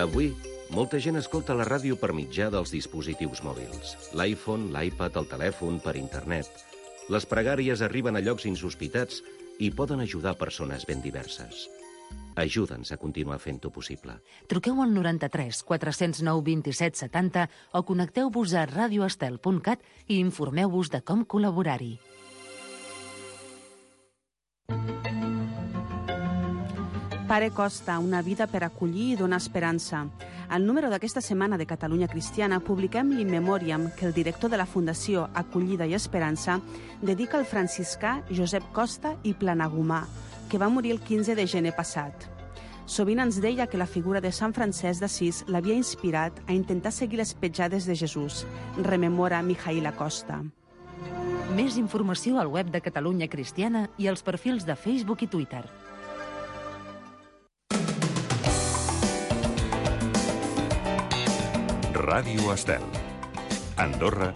Avui, molta gent escolta la ràdio per mitjà dels dispositius mòbils. L'iPhone, l'iPad, el telèfon, per internet. Les pregàries arriben a llocs insospitats i poden ajudar persones ben diverses. Ajuda'ns a continuar fent-ho possible. Truqueu al 93 409 27 70 o connecteu-vos a radioestel.cat i informeu-vos de com col·laborar-hi. Pare Costa, una vida per acollir i donar esperança. Al número d'aquesta setmana de Catalunya Cristiana publiquem l'In Memoriam que el director de la Fundació Acollida i Esperança dedica al franciscà Josep Costa i Planagumà, que va morir el 15 de gener passat. Sovint ens deia que la figura de Sant Francesc d'Assís l'havia inspirat a intentar seguir les petjades de Jesús. Rememora Mijail Acosta. Més informació al web de Catalunya Cristiana i als perfils de Facebook i Twitter. Ràdio Estel. Andorra,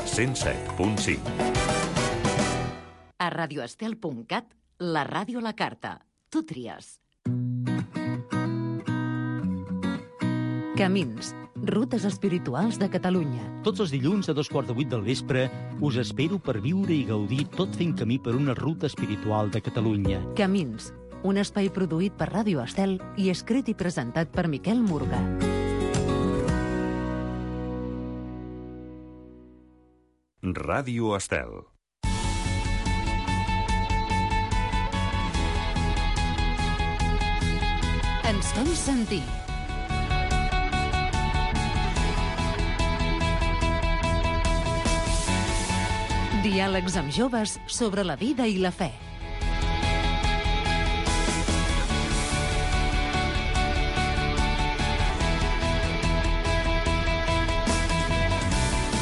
107.5. A radioestel.cat, la ràdio a la carta. Tu tries. Camins, rutes espirituals de Catalunya. Tots els dilluns a 7:15 del vespre us espero per viure i gaudir tot fent camí per una ruta espiritual de Catalunya. Camins, un espai produït per Ràdio Estel i escrit i presentat per Miquel Murga. Ràdio Estel. Ens fem sentir. Diàlegs amb joves sobre la vida i la fe.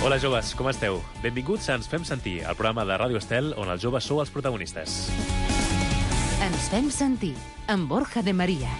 Hola joves, com esteu? Benvinguts a Ens fem sentir, el programa de Ràdio Estel on els joves sou els protagonistes. Ens fem sentir, amb Borja de Maria.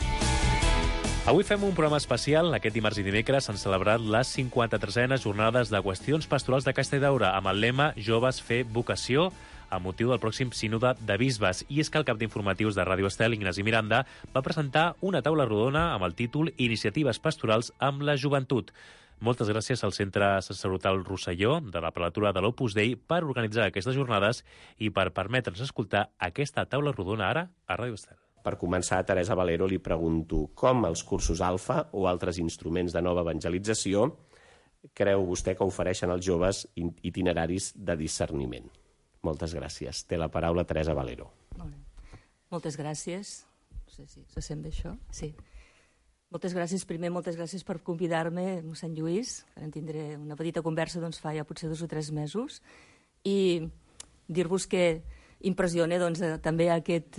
Avui fem un programa especial. Aquest dimarts i dimecres s'han celebrat les 53enes jornades de qüestions pastorals de Casta i Daura amb el lema Joves fer vocació amb motiu del pròxim sínode de bisbes. I és que el cap d'informatius de Ràdio Estel, Ignasi Miranda, va presentar una taula rodona amb el títol Iniciatives pastorals amb la joventut. Moltes gràcies al Centre Sacerdotal Rosselló de la Prelatura de l'Opus Dei per organitzar aquestes jornades i per permetre'ns escoltar aquesta taula rodona ara a Ràdio Estel. Per començar, a Teresa Valero li pregunto com els cursos Alfa o altres instruments de nova evangelització creu vostè que ofereixen als joves itineraris de discerniment? Moltes gràcies. Té la paraula Teresa Valero. Molt bé. Moltes gràcies. No sé si se sent bé això. Sí. Moltes gràcies. Primer, moltes gràcies per convidar-me, mossèn Lluís, que en tindré una petita conversa fa ja potser 2 o 3 mesos, i dir-vos que impressiona també aquest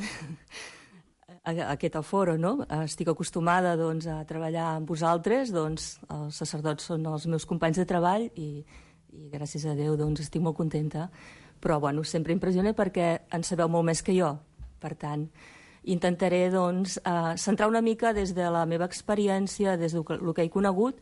aforo, no? Estic acostumada a treballar amb vosaltres, els sacerdots són els meus companys de treball i gràcies a Déu estic molt contenta, però sempre impressiona perquè en sabeu molt més que jo. Per tant, intentaré centrar una mica des de la meva experiència, des del que he conegut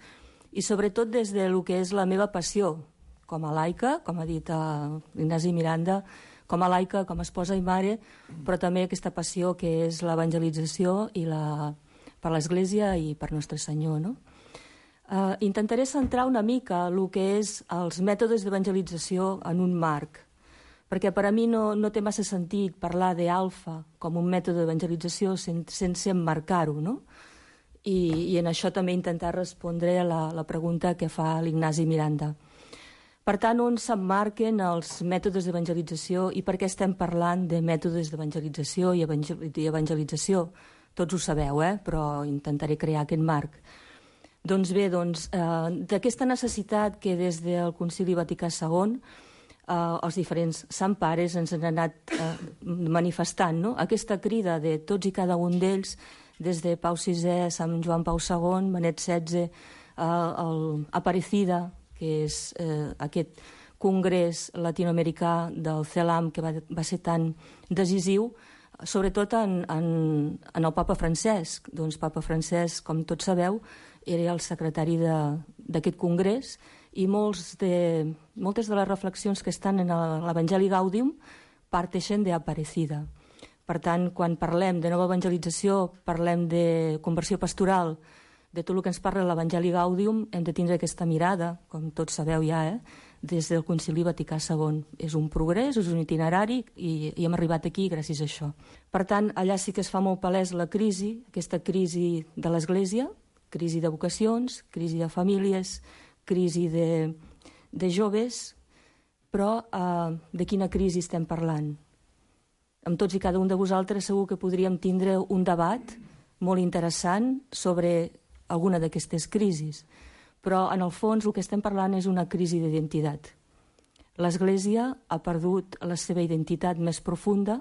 i sobretot des del que és la meva passió com a laica, com ha dit Ignasi Miranda, com a laica, com a esposa i mare, però també aquesta passió que és l'evangelització i per l'Església i per Nostre Senyor. No? Intentaré centrar una mica el que és els mètodes d'evangelització en un marc, perquè per a mi no té massa sentit parlar d'Alfa com un mètode d'evangelització sense emmarcar-ho, no? I en això també intentar respondre a la pregunta que fa l'Ignasi Miranda. Per tant, on s'emmarquen els mètodes d'evangelització i per què estem parlant de mètodes d'evangelització i evangelització? Tots ho sabeu, però intentaré crear aquest marc. Doncs bé, d'aquesta necessitat que des del Concili Vaticà II els diferents sant pares ens han anat manifestant, no? Aquesta crida de tots i cada un d'ells, des de Pau VI, Sant Joan Pau II, Benet XVI, Aparecida, que és aquest congrés latinoamericà del CELAM que va ser tan decisiu, sobretot en el papa Francesc. Doncs papa Francesc, com tots sabeu, era el secretari d'aquest congrés i moltes de les reflexions que estan en l'Evangeli Gaudium parteixen d'Aparecida. Per tant, quan parlem de nova evangelització, parlem de conversió pastoral, de tot el que ens parla l'Evangeli Gaudium, hem de tindre aquesta mirada, com tots sabeu ja, des del Concili Vaticà II. És un progrés, és un itinerari i hem arribat aquí gràcies a això. Per tant, allà sí que es fa molt palès la crisi, aquesta crisi de l'Església, crisi de vocacions, crisi de famílies, crisi de joves, però de quina crisi estem parlant? Amb tots i cada un de vosaltres segur que podríem tindre un debat molt interessant sobre alguna d'aquestes crisis, però en el fons el que estem parlant és una crisi d'identitat. L'Església ha perdut la seva identitat més profunda,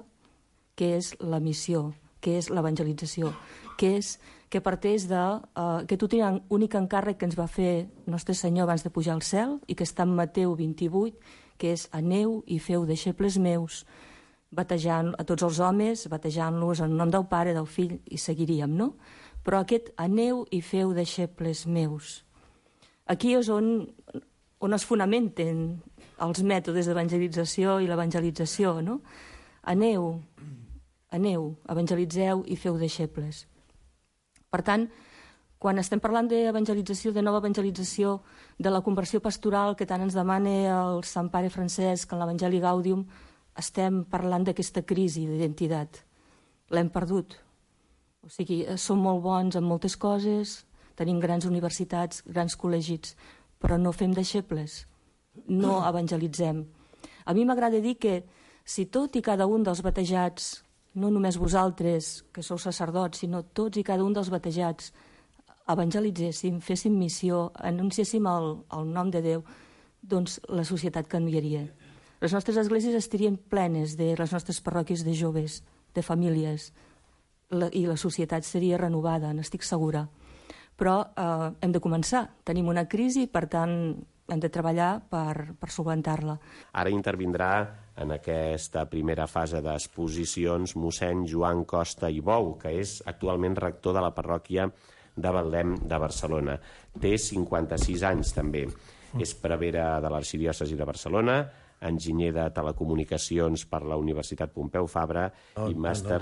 que és la missió, que és l'evangelització, que parteix d'aquest únic encàrrec que ens va fer Nostre Senyor abans de pujar al cel i que està en Mateu 28, que és aneu i feu deixebles meus, batejant a tots els homes, batejant-los en nom del Pare, del Fill, i seguiríem, no? Però aquest aneu i feu deixebles meus. Aquí és on es fonamenten els mètodes d'evangelització i l'evangelització, no? Aneu, evangelitzeu i feu deixebles. Per tant, quan estem parlant d'evangelització, de nova evangelització, de la conversió pastoral que tant ens demana el Sant Pare Francesc en l'Evangeli Gaudium, estem parlant d'aquesta crisi d'identitat. L'hem perdut. O sigui, som molt bons en moltes coses, tenim grans universitats, grans col·legis, però no fem deixebles, no evangelitzem. A mi m'agrada dir que si tot i cada un dels batejats, no només vosaltres, que sou sacerdots, sinó tots i cada un dels batejats, evangelitzéssim, féssim missió, anunciéssim el nom de Déu, doncs la societat canviaria. Les nostres esglésies estarien plenes de les nostres parròquies de joves, de famílies, i la societat seria renovada, n'estic segura. Però hem de començar. Tenim una crisi, per tant, hem de treballar per solventar-la. Ara intervindrà en aquesta primera fase d'exposicions mossèn Joan Costa i Bou, que és actualment rector de la parròquia de Betlem de Barcelona. Té 56 anys, també. És prevere de l'Arxidiòcesi de Barcelona, enginyer de telecomunicacions per la Universitat Pompeu Fabra i màster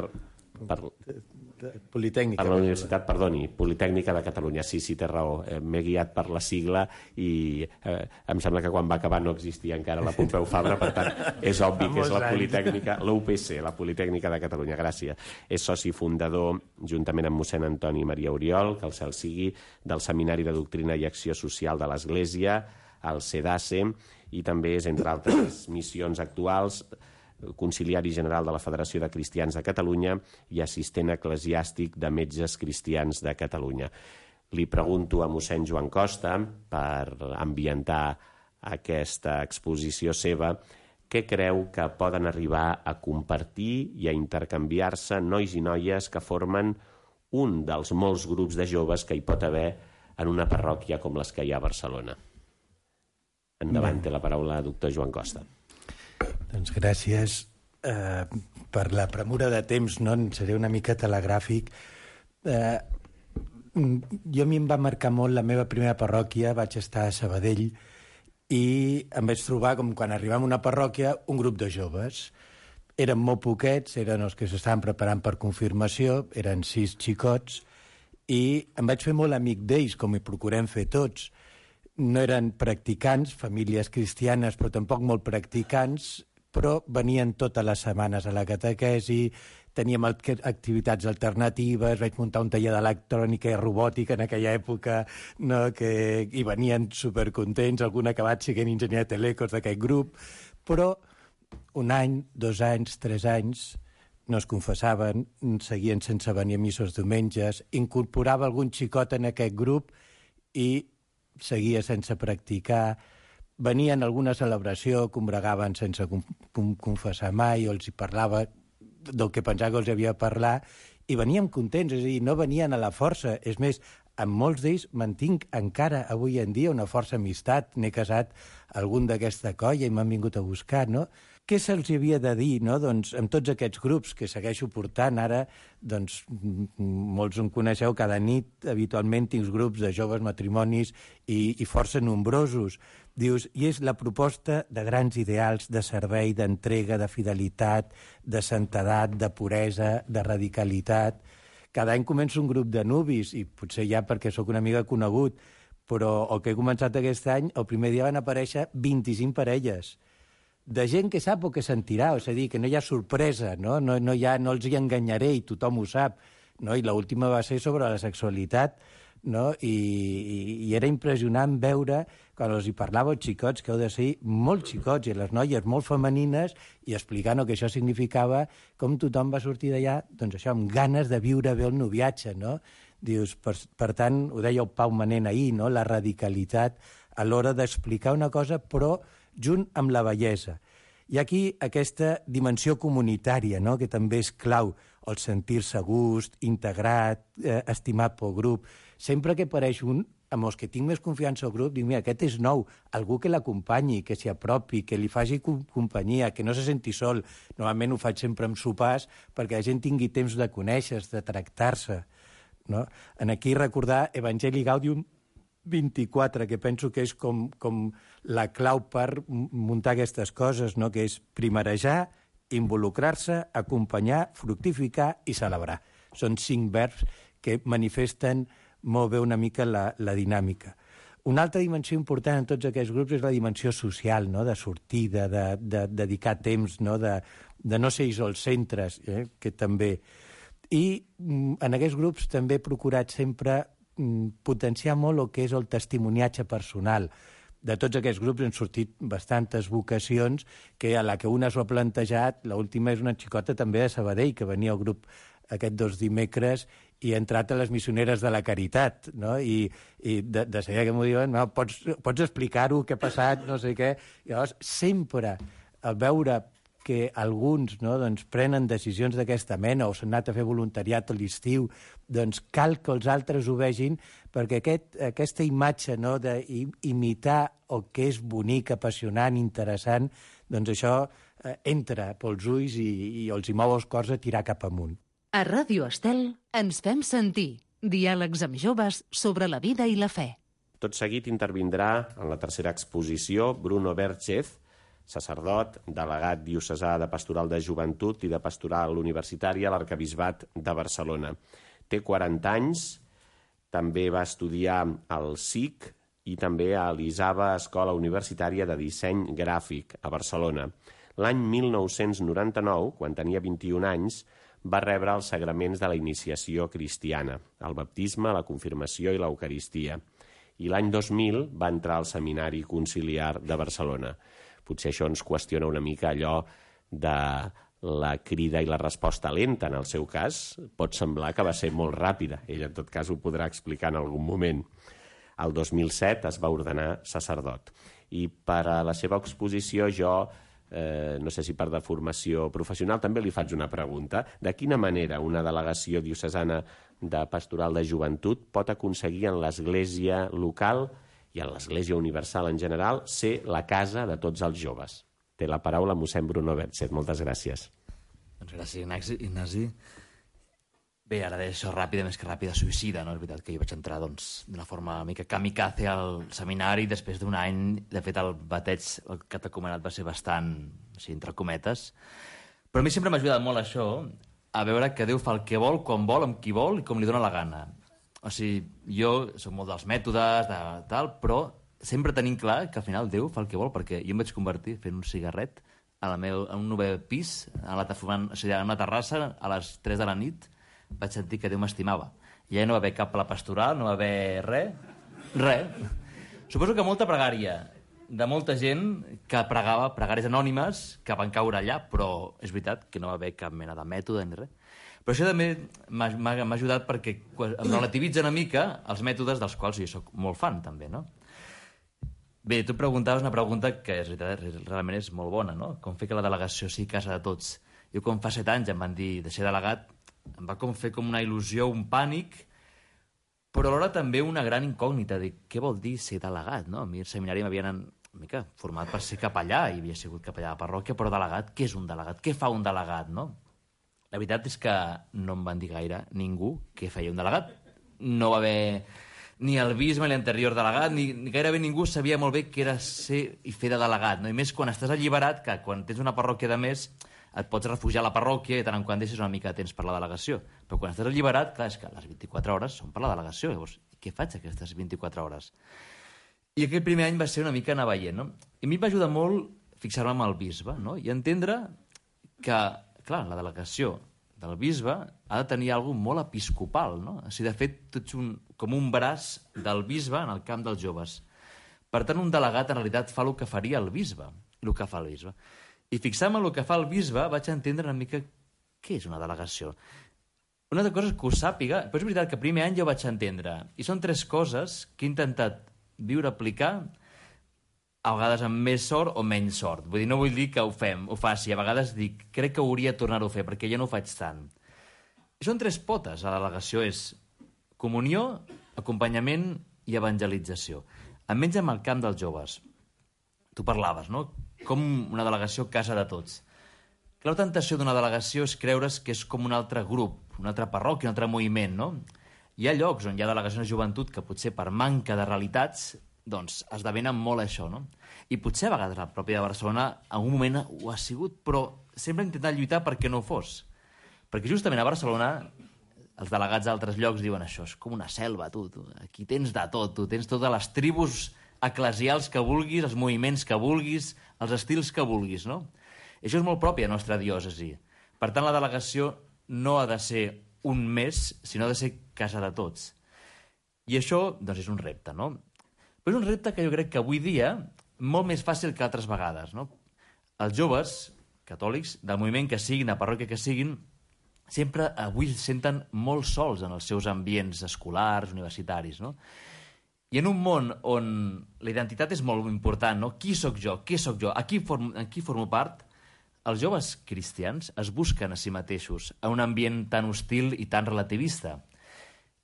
Politècnica. Per la Universitat, Politècnica de Catalunya. Sí, té raó. M'he guiat per la sigla i em sembla que quan va acabar no existia encara la Pompeu Fabra, per tant, és obvi que és la Politècnica, la UPC, la Politècnica de Catalunya. Gràcies. És soci fundador, juntament amb mossèn Antoni Maria Oriol, que el cel sigui, del Seminari de Doctrina i Acció Social de l'Església, el CEDACE, i també és, entre altres missions actuals, conciliari general de la Federació de Cristians de Catalunya i assistent eclesiàstic de Metges Cristians de Catalunya. Li pregunto a mossèn Joan Costa, per ambientar aquesta exposició seva, què creu que poden arribar a compartir i a intercanviar-se nois i noies que formen un dels molts grups de joves que hi pot haver en una parròquia com les que hi ha a Barcelona. Endavant, té la paraula doctor Joan Costa. Doncs gràcies per la premura de temps, no? En seré una mica telegràfic. Jo a mi em va marcar molt la meva primera parròquia, vaig estar a Sabadell i em vaig trobar, com quan arribam a una parròquia, un grup de joves. Eren molt poquets, eren els que s'estaven preparant per confirmació, eren 6 xicots, i em vaig fer molt amic d'ells, com hi procurem fer tots. No eren practicants, famílies cristianes, però tampoc molt practicants, però venien totes les setmanes a la catequesi, teníem activitats alternatives, vaig muntar un taller d'electrònica i robòtica en aquella època, no? Que hi venien supercontents, algun acabat siguent enginyer de telecos d'aquest grup, però un any, 2 anys, 3 anys, no es confessaven, seguien sense venir a missos diumenges, incorporava algun xicot en aquest grup i seguia sense practicar, venien a alguna celebració, combregaven sense confessar mai, o els hi parlava del que pensava que els havia de parlar, i veníem contents, és a dir, no venien a la força. És més, amb molts d'ells mantinc encara avui en dia una força amistat, n'he casat algun d'aquesta colla i m'han vingut a buscar, no? Què se'ls havia de dir, no? Doncs amb tots aquests grups que segueixo portant ara, doncs molts em coneixeu, cada nit habitualment tinc grups de joves matrimonis i força nombrosos. Dius, i és la proposta de grans ideals de servei, d'entrega, de fidelitat, de santedat, de puresa, de radicalitat, cada any començo un grup de nuvis, i potser ja perquè sóc una mica conegut, però el que he començat aquest any, el primer dia van aparèixer 25 parelles de gent que sap o que sentirà, és a dir, que no hi ha sorpresa, no els hi enganyaré i tothom ho sap, no? I l'última va ser sobre la sexualitat, no? I era impressionant veure, quan els hi parlava als xicots, que heu de ser molt xicots, i les noies molt femenines, i explicant el que això significava, com tothom va sortir d'allà, doncs això, amb ganes de viure bé el noviatge, no? Dius, per tant, ho deia el Pau Manent ahir, no? La radicalitat a l'hora d'explicar una cosa, però junt amb la bellesa. I aquí aquesta dimensió comunitària, no? Que també és clau, el sentir-se a gust, integrat, estimat pel grup. Sempre que apareix un, amb els que tinc més confiança al grup, dic, mira, aquest és nou, algú que l'acompanyi, que s'hi apropi, que li faci companyia, que no se senti sol. Normalment ho faig sempre amb sopars perquè la gent tingui temps de conèixer-se, de tractar-se. No? En aquí recordar Evangelii Gaudium 24, que penso que és com la clau per muntar aquestes coses, no? Que és primerejar, involucrar-se, acompanyar, fructificar i celebrar. Són 5 verbs que manifesten molt bé una mica la dinàmica. Una altra dimensió important en tots aquests grups és la dimensió social, no? De sortida, de dedicar temps, no? De no ser isolcentres, que també. I en aquests grups també he procurat sempre potenciar molt el que és el testimoniatge personal. De tots aquests grups han sortit bastantes vocacions que a la que una s'ho ha plantejat, l'última és una xicota també de Sabadell, que venia al grup aquests 2 dimecres i ha entrat a les missioneres de la Caritat, no? I de seguida que m'ho diuen, no, pots explicar-ho, què ha passat, no sé què. I llavors, sempre al veure que alguns, no, doncs, prenen decisions d'aquesta mena o s'han anat a fer voluntariat a l'estiu, doncs cal que els altres ho vegin, perquè aquesta imatge, no, d'imitar el que és bonic, apassionant, interessant, doncs això entra pels ulls i els hi mou els cors a tirar cap amunt. A Ràdio Estel ens fem sentir diàlegs amb joves sobre la vida i la fe. Tot seguit intervindrà en la tercera exposició Bruno Berchez, sacerdot, delegat diocesà de Pastoral de Joventut i de Pastoral Universitària a l'Arquebisbat de Barcelona. Té 40 anys, també va estudiar al SIC i també a l'ISABA, Escola Universitària de Disseny Gràfic, a Barcelona. L'any 1999, quan tenia 21 anys, va rebre els sagraments de la iniciació cristiana, el baptisme, la confirmació i l'Eucaristia. I l'any 2000 va entrar al Seminari Conciliar de Barcelona. Potser això ens qüestiona una mica allò de la crida i la resposta lenta, en el seu cas. Pot semblar que va ser molt ràpida. Ell, en tot cas, ho podrà explicar en algun moment. El 2007 es va ordenar sacerdot. I per a la seva exposició jo, no sé si per deformació professional, també li faig una pregunta. De quina manera una delegació diocesana de Pastoral de Joventut pot aconseguir en l'Església local i en l'Església Universal en general, ser la casa de tots els joves? Té la paraula mossèn Bruno Berchez. Moltes gràcies. Doncs gràcies, Ignasi. Bé, ara deia això ràpida, més que ràpida, suïcida, no? És veritat que jo vaig entrar d'una forma una mica kamikaze al seminari, després d'un any, de fet, el bateig, el catecumenat va ser bastant, així, entre cometes. Però a mi sempre m'ha ajudat molt això, a veure que Déu fa el que vol, quan vol, amb qui vol i com li dóna la gana. O sigui, jo soc molt dels mètodes, de tal, però sempre tenim clar que al final Déu fa el que vol, perquè jo em vaig convertir fent un cigarret en un 9è pis, en una terrassa, a les 3 de la nit, vaig sentir que Déu m'estimava. I ja no va haver cap a la pastoral, no va haver res. Suposo que molta pregària de molta gent que pregava, pregàries anònimes, que van caure allà, però és veritat que no va haver cap mena de mètode ni res. Però això també m'ha ajudat perquè em relativitza una mica els mètodes dels quals jo soc molt fan, també, no? Bé, tu preguntaves una pregunta que realment és molt bona, no? Com fer que la delegació sigui casa de tots. Jo quan fa 7 anys em van dir de ser delegat, em va fer com una il·lusió, un pànic, però alhora també una gran incògnita de què vol dir ser delegat, no? A mi al seminari m'havien una mica format per ser capellà, i havia sigut capellà de la parròquia, però delegat, què és un delegat? Què fa un delegat, no? La veritat és que no em van dir gaire ningú què feia un delegat. No va haver ni el bisbe ni l'anterior delegat, ni gairebé ningú sabia molt bé què era ser i fer de delegat, no? I més quan estàs alliberat, que quan tens una parròquia de més et pots refugiar a la parròquia i tant en quant deixes una mica de temps per la delegació. Però quan estàs alliberat, clar, és que les 24 hores són per la delegació. Llavors, què faig aquestes 24 hores? I aquell primer any va ser una mica anar veient, no? I a mi em va ajudar molt fixar-me amb el bisbe, no? I entendre que, clar, la delegació del bisbe ha de tenir alguna molt episcopal, no? O sigui, de fet, tu ets com un braç del bisbe en el camp dels joves. Per tant, un delegat, en realitat, fa el que faria el bisbe, el que fa el bisbe. I fixant-me en el que fa el bisbe, vaig entendre una mica què és una delegació. Una altra cosa és que ho sàpiga, però és veritat que el primer any jo vaig entendre. I són 3 coses que he intentat viure, aplicar, a vegades amb més sort o menys sort. Vull dir, no vull dir que ho faci. A vegades dic, crec que hauria de tornar-ho a fer, perquè jo no ho faig tant. I són 3 potes. A la delegació és comunió, acompanyament i evangelització. Almenys amb el camp dels joves. Tu parlaves, no? Com una delegació casa de tots. La tentació d'una delegació és creure's que és com un altre grup, una altra parròquia, un altre moviment, no? Hi ha llocs on hi ha delegacions de joventut que potser per manca de realitats doncs esdevenen molt això, no? I potser a vegades la pròpia de Barcelona en un moment ho ha sigut, però sempre ha intentat lluitar perquè no ho fos. Perquè justament a Barcelona els delegats d'altres llocs diuen això, és com una selva, tu. Aquí tens de tot, tu tens totes les tribus eclesials que vulguis, els moviments que vulguis, els estils que vulguis, no? I això és molt propi a la nostra diòcesi. Per tant, la delegació no ha de ser un més, sinó ha de ser casa de tots. I això, doncs, és un repte, no? Però és un repte que jo crec que avui dia molt més fàcil que altres vegades, no? Els joves catòlics, del moviment que siguin, de parròquia que siguin, sempre avui se senten molt sols en els seus ambients escolars, universitaris, no? I en un món on la identitat és molt important, no? Qui sóc jo? Què sóc jo? A qui formo part? Els joves cristians es busquen a si mateixos en un ambient tan hostil i tan relativista.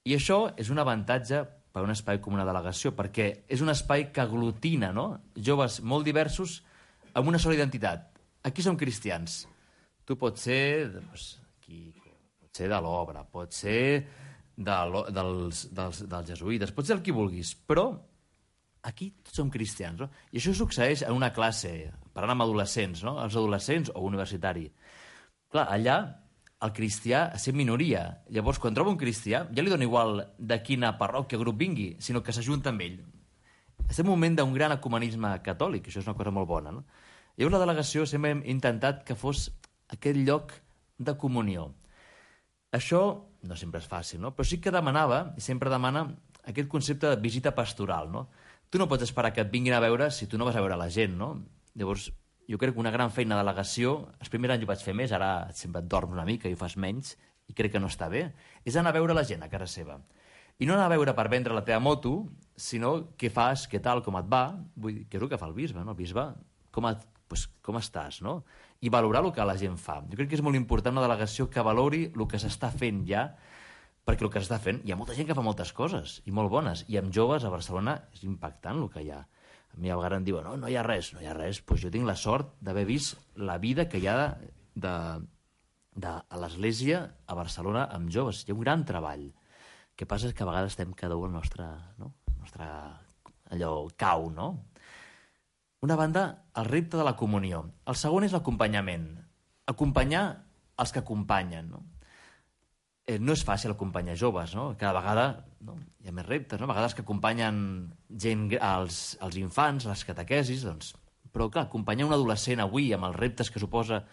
I això és un avantatge per un espai com una delegació, perquè és un espai que aglutina, no? Joves molt diversos amb una sola identitat. Aquí som cristians. Tu pots ser, pot ser de l'obra, pot ser dels jesuïtes, pot ser el que vulguis, però aquí tots som cristians, no? I això succeeix en una classe, parlant amb adolescents, no? Els adolescents o universitari. Clar, allà el cristià és minoria. Llavors, quan troba un cristià, ja li dona igual de quina parròquia grup vingui, sinó que s'ajunta amb ell. Estem en un moment d'un gran ecumenisme catòlic, això és una cosa molt bona, no? Llavors la delegació sempre hem intentat que fos aquest lloc de comunió. Això no sempre és fàcil, no? Però sí que demanava, i sempre demana, aquest concepte de visita pastoral, no? Tu no pots esperar que et vinguin a veure si tu no vas a veure la gent, no? Llavors, jo crec que una gran feina de delegació, els primers anys ho vaig fer més, ara sempre et dorms una mica i ho fas menys, i crec que no està bé, és anar a veure la gent a casa seva. I no anar a veure per vendre la teva moto, sinó què fas, què tal, com et va, vull dir, què és el que fa el bisbe, no? El bisbe, com estàs, no? I valorar el que la gent fa. Jo crec que és molt important una delegació que valori el que s'està fent ja, perquè el que s'està fent, hi ha molta gent que fa moltes coses, i molt bones, i amb joves a Barcelona és impactant el que hi ha. A mi a vegades em diuen, no hi ha res, doncs jo tinc la sort d'haver vist la vida que hi ha a l'Església a Barcelona amb joves. Hi ha un gran treball. El que passa és que a vegades estem cada un al nostre allò cau, no? Una banda, el repte de la comunió. El segon és l'acompanyament. Acompanyar els que acompanyen, no? No és fàcil acompanyar joves, no? Cada vegada hi ha més reptes, no? A vegades que acompanyen gent, els infants, les catequesis, doncs... Però, clar, acompanyar un adolescent avui amb els reptes que suposa,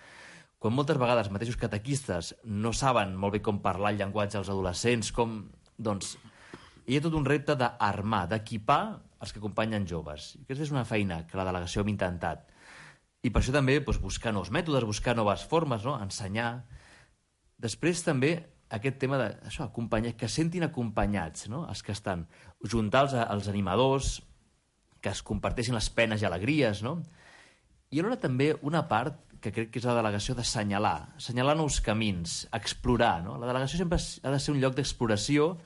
quan moltes vegades els mateixos catequistes no saben molt bé com parlar el llenguatge als adolescents, doncs, hi ha tot un repte d'armar, d'equipar els que acompanyen joves. I aquesta és una feina que la delegació hem intentat. I per això també buscar nous mètodes, buscar noves formes, no? Ensenyar. Després també aquest tema d'això, acompanyar, que sentin acompanyats, no? Els que estan. Juntar els animadors, que es comparteixin les penes i alegries, no? I alhora també una part que crec que és la delegació d'assenyalar nous camins, explorar, no? La delegació sempre ha de ser un lloc d'exploració,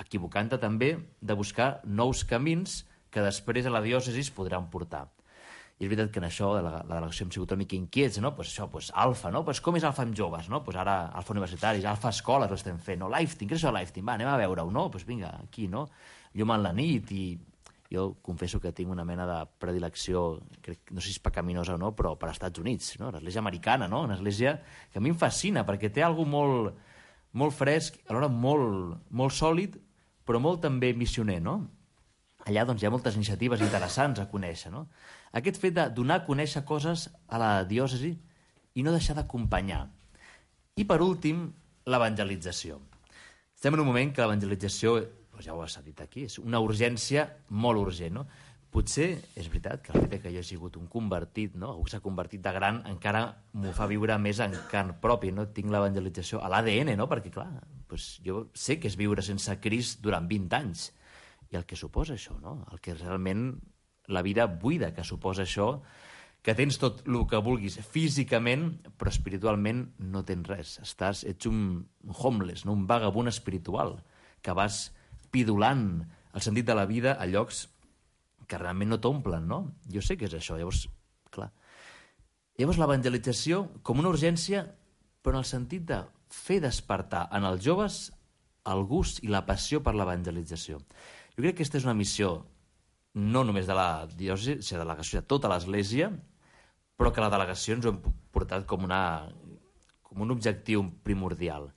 equivocant-te també, de buscar nous camins que després a la diòcesi es podran portar. I és veritat que en això la delegació hem sigut una mica inquiets, no? Alfa, no? Com és Alfa amb joves, no? Ara Alfa universitaris, Alfa escoles ho estem fent, no? Lifting, què és això Lifting? Va, anem a veure-ho, no? Vinga, aquí, no? Llum en la nit i jo confesso que tinc una mena de predilecció, no sé si és pecaminosa o no, però per als Estats Units, no? L'església americana, no? Una església que a mi em fascina, perquè té alguna molt, molt fresc, alhora molt sòlid, però molt també missioner, no? Allà doncs, hi ha moltes iniciatives interessants a conèixer, no? Aquest fet de donar a conèixer coses a la diòcesi i no deixar d'acompanyar. I, per últim, l'evangelització. Estem en un moment que l'evangelització, ja ho s'ha dit aquí, és una urgència molt urgent, no? Potser és veritat que el fet que jo he sigut un convertit, no? Algú s'ha convertit de gran, encara m'ho fa viure més en carn pròpia, no? Tinc l'evangelització a l'ADN, no? Perquè, clar, doncs jo sé que és viure sense Crist durant 20 anys. I el que suposa això, no? El que realment la vida buida que suposa això, que tens tot el que vulguis físicament, però espiritualment no tens res. Ets un homeless, no? Un vagabund espiritual, que vas pidolant el sentit de la vida a llocs que realment no t'omplen, no? Jo sé que és això, llavors, clar. Llavors l'evangelització com una urgència, però en el sentit de fer despertar en els joves el gust i la passió per l'evangelització. Jo crec que aquesta és una missió no només de la diòcesi, sinó de la delegació de tota l'Església, però que la delegació ens ho hem portat com un objectiu primordial.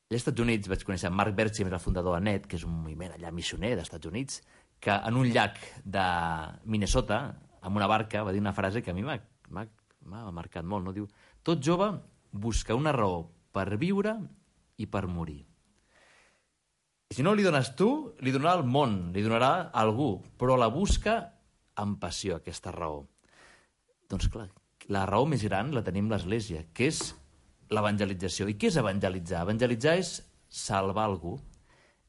Als Estats Units vaig conèixer Mark Bertram, el fundador de NET, que és un moviment allà missioner dels Estats Units, que en un llac de Minnesota, amb una barca, va dir una frase que a mi m'ha marcat molt, no? Diu, tot jove busca una raó per viure i per morir. I si no li dones tu, li donarà el món, li donarà algú, però la busca amb passió, aquesta raó. Doncs clar, la raó més gran la tenim l'Església, que és l'evangelització. I què és evangelitzar? Evangelitzar és salvar algú,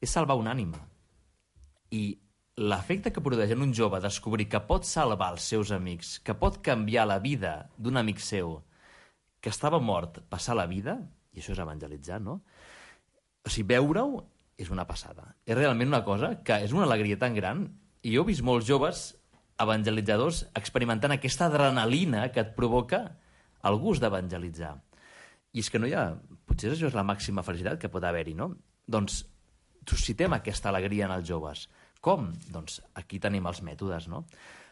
és salvar una ànima. I l'efecte que produeix en un jove descobrir que pot salvar els seus amics, que pot canviar la vida d'un amic seu que estava mort, passar la vida, i això és evangelitzar, no? O sigui, veure-ho és una passada. És realment una cosa que és una alegria tan gran, i jo he vist molts joves evangelitzadors experimentant aquesta adrenalina que et provoca el gust d'evangelitzar. I és que no hi ha... Potser això és la màxima felicitat que pot haver-hi, no? Doncs suscitem aquesta alegria en els joves. Com? Doncs aquí tenim els mètodes, no?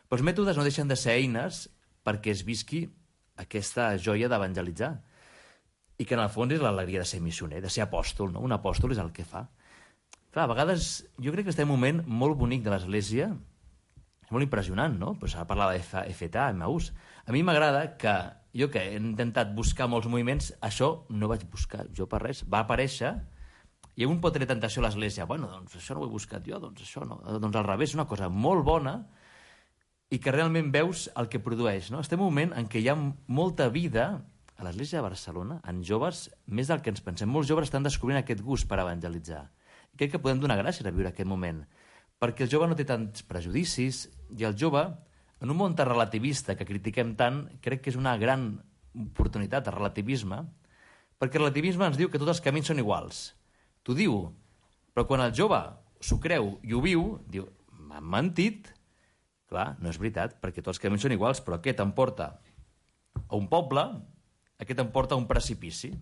Però els mètodes no deixen de ser eines perquè es visqui aquesta joia d'evangelitzar. I que en el fons és l'alegria de ser missioner, de ser apòstol, no? Un apòstol és el que fa. Clar, a vegades jo crec que estem en un moment molt bonic de l'Església, és molt impressionant, no? Pues ara parlava d'FTA, Emmaús. A mi m'agrada que jo que he intentat buscar molts moviments, això no vaig buscar jo per res, va aparèixer, i un pot tenir tentació a l'Església, bueno, doncs això no ho he buscat jo, doncs això no, doncs al revés, és una cosa molt bona i que realment veus el que produeix, no? Estem en un moment en què hi ha molta vida a l'Església de Barcelona, en joves, més del que ens pensem. Molts joves estan descobrint aquest gust per evangelitzar. I crec que podem donar gràcies a viure aquest moment, perquè el jove no té tants prejudicis i el jove, en un món tan relativista que critiquem tant, crec que és una gran oportunitat de relativisme, perquè el relativisme ens diu que tots els camins són iguals. T'ho diu, però quan el jove s'ho creu i ho viu, diu, m'han mentit. Clar, no és veritat, perquè tots els camins són iguals, però aquest em porta a un poble, aquest em porta a un precipici.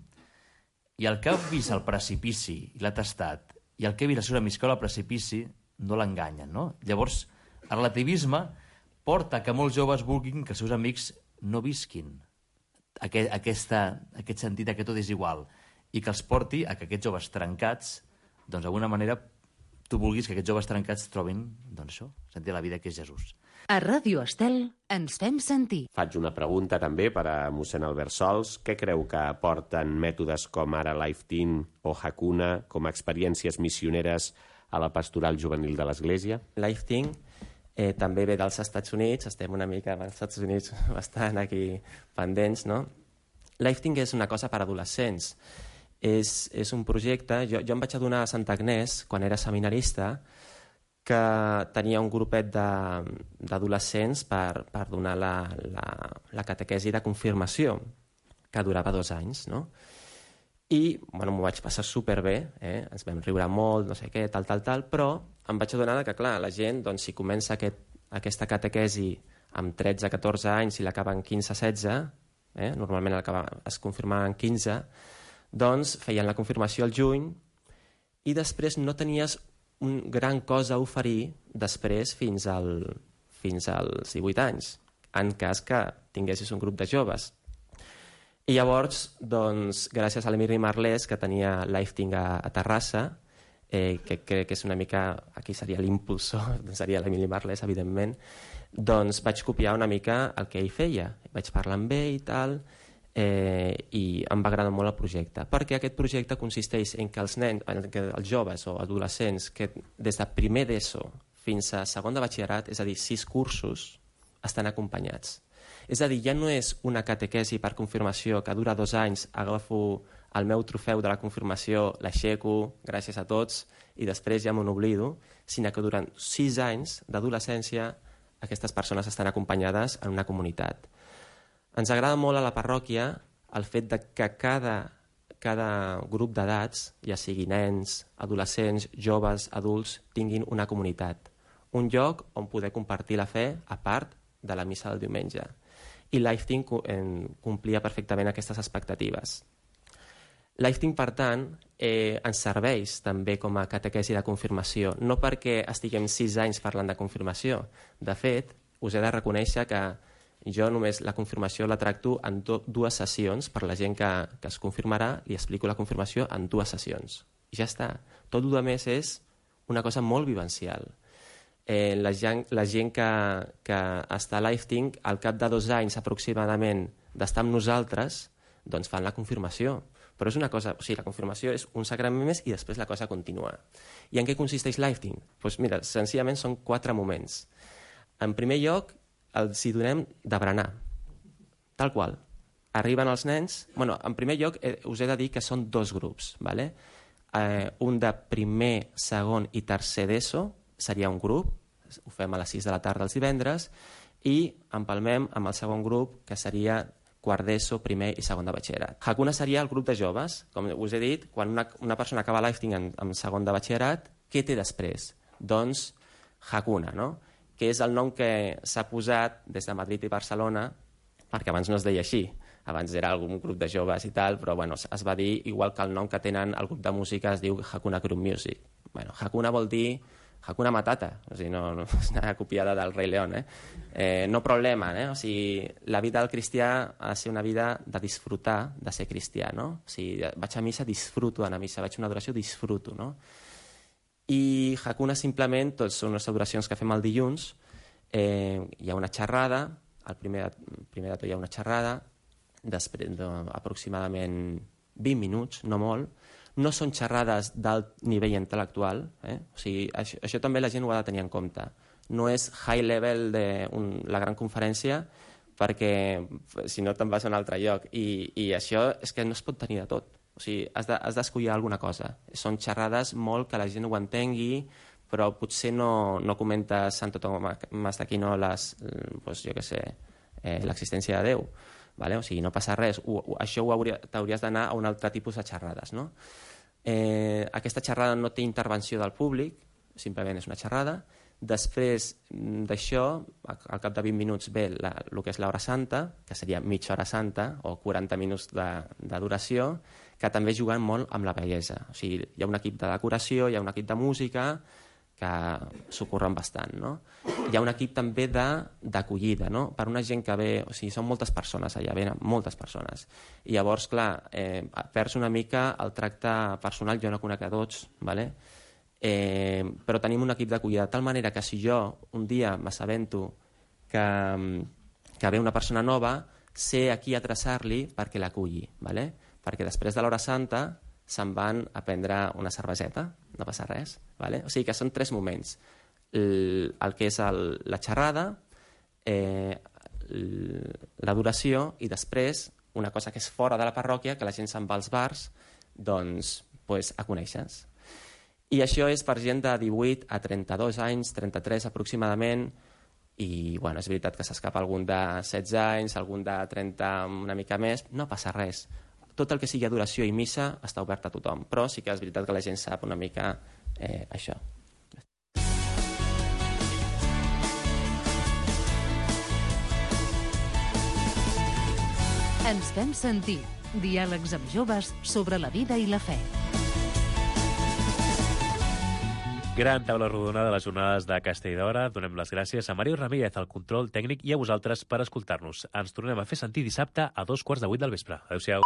I el que ha vist el precipici i l'ha tastat, i el que ha vist els seus amics que al precipici, no l'enganyen, no? Llavors, el relativisme porta que molts joves vulguin que els seus amics no visquin aquest sentit que tot és igual i que els porti a que aquests joves trencats, doncs d'alguna manera tu vulguis que aquests joves trencats trobin, doncs això, sentir la vida que és Jesús. A Ràdio Estel ens fem sentir. Faig una pregunta també per a mossèn Albert Sols. Què creu que aporten mètodes com ara LifeTeam o Hakuna com a experiències missioneres a la pastoral juvenil de l'Església? LifeTeam també ve dels Estats Units, estem una mica als Estats Units bastant aquí pendents, no? LifeTeam és una cosa per a adolescents. És un projecte... Jo em vaig adonar a Santa Agnès, quan era seminarista, que tenia un grupet d'adolescents per donar la catequesi de confirmació, que durava 2 anys, no? I m'ho vaig passar superbé, ens vam riure molt, no sé què, tal, però em vaig adonar que, clar, la gent, doncs, si comença aquesta catequesi amb 13-14 anys i l'acaba en 15-16, normalment es confirmava en 15, doncs feien la confirmació al juny i després no tenies una gran cosa a oferir després fins als 18 anys, en cas que tinguessis un grup de joves. I llavors, doncs, gràcies a l'Emili Marlès, que tenia Lifting a Terrassa, que crec que és una mica, aquí seria l'impulsor, seria l'Emili Marlès, evidentment, doncs vaig copiar una mica el que ell feia. Vaig parlar amb ell i tal, i em va agradar molt el projecte, perquè aquest projecte consisteix en que els els joves o adolescents que des de primer d'ESO fins a segon de batxillerat, és a dir, 6 cursos, estan acompanyats. És a dir, ja no és una catequesi per confirmació que dura 2 anys, agafo el meu trofeu de la confirmació, l'aixeco, gràcies a tots, i després ja me n'oblido, sinó que durant 6 anys d'adolescència aquestes persones estan acompanyades en una comunitat. Ens agrada molt a la parròquia el fet de que cada grup d'edats, ja sigui nens, adolescents, joves, adults, tinguin una comunitat, un lloc on poder compartir la fe a part de la missa del diumenge. I Lifting complia perfectament aquestes expectatives. Lifting, per tant, ens serveix també com a catequesi de confirmació, no perquè estiguem 6 anys parlant de confirmació. De fet, us he de reconèixer que jo només la confirmació la tracto en 2 sessions. Per la gent que es confirmarà, li explico la confirmació en 2 sessions. I ja està. Tot el més és una cosa molt vivencial. La gent que està a Lifting, al cap de 2 anys aproximadament d'estar amb nosaltres, doncs fan la confirmació. Però és una cosa, o sigui, la confirmació és un sagrament més i després la cosa continua. I en què consisteix Lifting? Doncs mira, senzillament són 4 moments. En primer lloc, els hi donem de berenar, tal qual. Arriben els nens... Bueno, en primer lloc, us he de dir que són 2 grups, ¿vale? Un de primer, segon i tercer d'ESO seria un grup, ho fem a les 6 de la tarda els divendres, i empalmem amb el segon grup, que seria quart d'ESO, primer i segon de batxillerat. Hakuna seria el grup de joves. Com us he dit, quan una persona acaba Lifting en segon de batxillerat, què té després? Doncs Hakuna, no? Que és el nom que s'ha posat des de Madrid i Barcelona, perquè abans no es deia així. Abans era algun grup de joves i tal, però bueno, es va dir, igual que el nom que tenen el grup de música es diu Hakuna Group Music. Bueno, Hakuna vol dir Hakuna Matata, o sigui, no és una copiada del Rei León, no problema, o sigui, la vida del cristià ha de ser una vida de disfrutar de ser cristià, no? O sigui, vaig a missa, disfruto d'anar a missa, vaig a una adoració, disfruto, no? I Hakuna simplement, tots són les adoracions que fem el dilluns, hi ha una xerrada, al primer de tot hi ha una xerrada, després d'aproximadament 20 minuts, no molt. No són xerrades d'alt nivell intel·lectual, o sigui, això també la gent ho ha de tenir en compte. No és high level de la gran conferència, perquè si no te'n vas a un altre lloc. I això és que no es pot tenir de tot. O sigui, has d'escollir alguna cosa. Són xerrades molt que la gent ho entengui, però potser no comentes Santo Tomàs d'Aquino l'existència de Déu. Vale? O sigui, no passa res. Això t'hauries d'anar a un altre tipus de xerrades, no? Aquesta xerrada no té intervenció del públic, simplement és una xerrada. Després d'això, al cap de 20 minuts ve el que és l'hora santa, que seria mitja hora santa o 40 minuts de duració, que també juguen molt amb la bellesa. O sigui, hi ha un equip de decoració, hi ha un equip de música, que s'ho curren bastant, no? Hi ha un equip també d'acollida, no? Per una gent que ve... O sigui, són moltes persones allà, venen moltes persones. I llavors, clar, perds una mica el tracte personal, jo no conec a tots, ¿vale? Però tenim un equip d'acollida de tal manera que si jo un dia m'assabento que ve una persona nova, sé a qui adreçar-li perquè l'aculli, ¿vale? Perquè després de l'hora santa se'n van a prendre una cerveseta, no passa res, ¿vale? O sigui que són 3 moments. El que és la xerrada, l'adoració i després una cosa que és fora de la parròquia, que la gent se'n va als bars, doncs a conèixer-nos. I això és per gent de 18 a 32 anys, 33 aproximadament, i bueno, és veritat que s'escapa algun de 16 anys, algun de 30 una mica més, no passa res. Tot el que sigui adoració i missa està obert a tothom, però sí que és veritat que la gent sap una mica això. Ens fem sentir. Diàlegs amb joves sobre la vida i la fe. Gran taula rodona de les jornades de Castelldora. Donem les gràcies a Mario Ramírez, al control tècnic, i a vosaltres per escoltar-nos. Ens tornem a fer sentir dissabte a 2:15 del vespre. Adéu-siau.